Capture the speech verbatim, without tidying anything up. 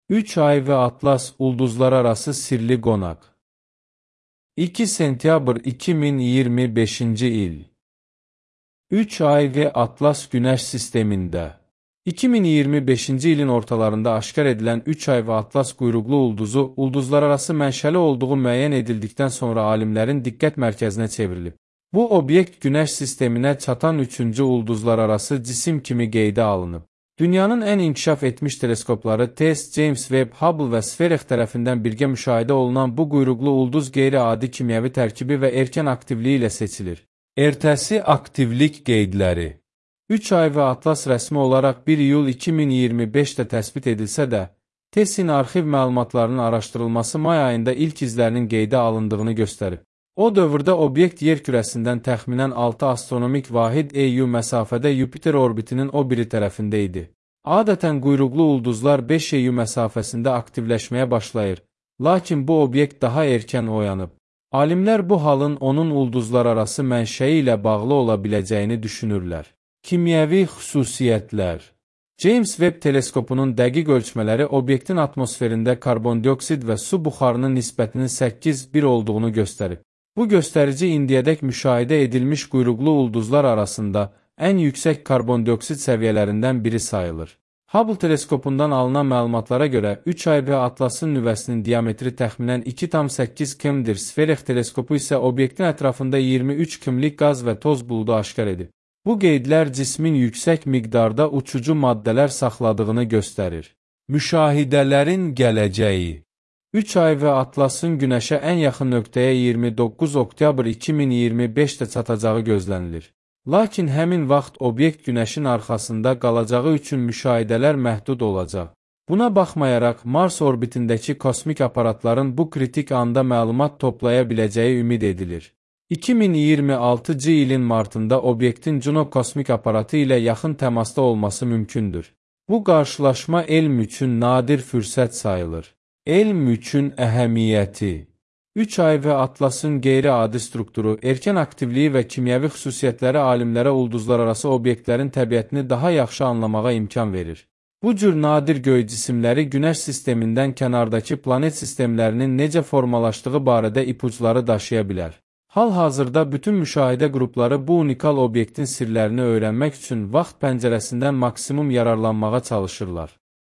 üç ay ve Atlas ulduzlararası sirli qonaq. iki sentyabr iki min iyirmi beşinci il. üç ay ve Atlas Güneş sistemində. iki min iyirmi beşinci ilin ortalarında aşkar edilən üç ay və Atlas quyruqlu ulduzu ulduzlararası mənşəli olduğu müəyyən edildikdən sonra alimlərin diqqət mərkəzinə çevrilib. Bu obyekt Güneş sisteminə çatan üçüncü ulduzlararası cisim kimi qeydə alınıb. Dünyanın ən inkişaf etmiş teleskopları TESS, James Webb, Hubble və Sferex tərəfindən birgə müşahidə olunan bu quyruqlu ulduz qeyri-adi kimyəvi tərkibi və erkən aktivliyi ilə seçilir. Ertəsi aktivlik qeydləri. üç ay və Atlas rəsmi olaraq bir iyul iki min iyirmi beşdə təsbit edilsə də, TESS-in arxiv məlumatlarının araşdırılması may ayında ilk izlərinin qeydə alındığını göstərib. O dövrdə obyekt yer kürəsindən təxminən altı astronomik vahid E U məsafədə Yupiter orbitinin o biri tərəfində idi. Adətən quyruqlu ulduzlar beş E U məsafəsində aktivləşməyə başlayır, lakin bu obyekt daha erkən oyanıb. Alimlər bu halın onun ulduzlararası mənşəyi ilə bağlı ola biləcəyini düşünürlər. Kimyəvi xüsusiyyətlər. James Webb teleskopunun dəqiq ölçmələri obyektin atmosferində karbondioksid və su buxarının nisbətinin səkkiz bir olduğunu göstərib. Bu göstərici indiyədək müşahidə edilmiş quyruqlu ulduzlar arasında ən yüksək karbondioksid səviyyələrindən biri sayılır. Hubble teleskopundan alınan məlumatlara görə üç ay və Atlasın nüvəsinin diametri təxminən iki tam səkkiz kilometrdir. Sferex teleskopu isə obyektin ətrafında iyirmi üç kilometrik qaz və toz buludu aşkar edib. Bu qeydlər cismin yüksək miqdarda uçucu maddələr saxladığını göstərir. Müşahidələrin gələcəyi. üç ay və Atlasın Günəşə ən yaxın nöqtəyə iyirmi doqquz oktyabr iki min iyirmi beşdə çatacağı gözlənilir. Lakin həmin vaxt obyekt Günəşin arxasında qalacağı üçün müşahidələr məhdud olacaq. Buna baxmayaraq, Mars orbitindəki kosmik aparatların bu kritik anda məlumat toplaya biləcəyi ümid edilir. iki min iyirmi altıncı ilin martında obyektin Juno kosmik aparatı ilə yaxın təmasda olması mümkündür. Bu qarşılaşma elm üçün nadir fürsət sayılır. Elm üçün əhəmiyyəti. üç ay və Atlasın qeyri-adi strukturu, erkən aktivliyi və kimyəvi xüsusiyyətləri alimlərə ulduzlararası obyektlərin təbiətini daha yaxşı anlamağa imkan verir. Bu cür nadir göy cisimləri Günəş sistemindən kənardakı planet sistemlərinin necə formalaşdığı barədə ipucları daşıya bilər. Hal-hazırda bütün müşahidə qrupları bu unikal obyektin sirlərini öyrənmək üçün vaxt pəncərəsindən maksimum yararlanmağa çalışırlar.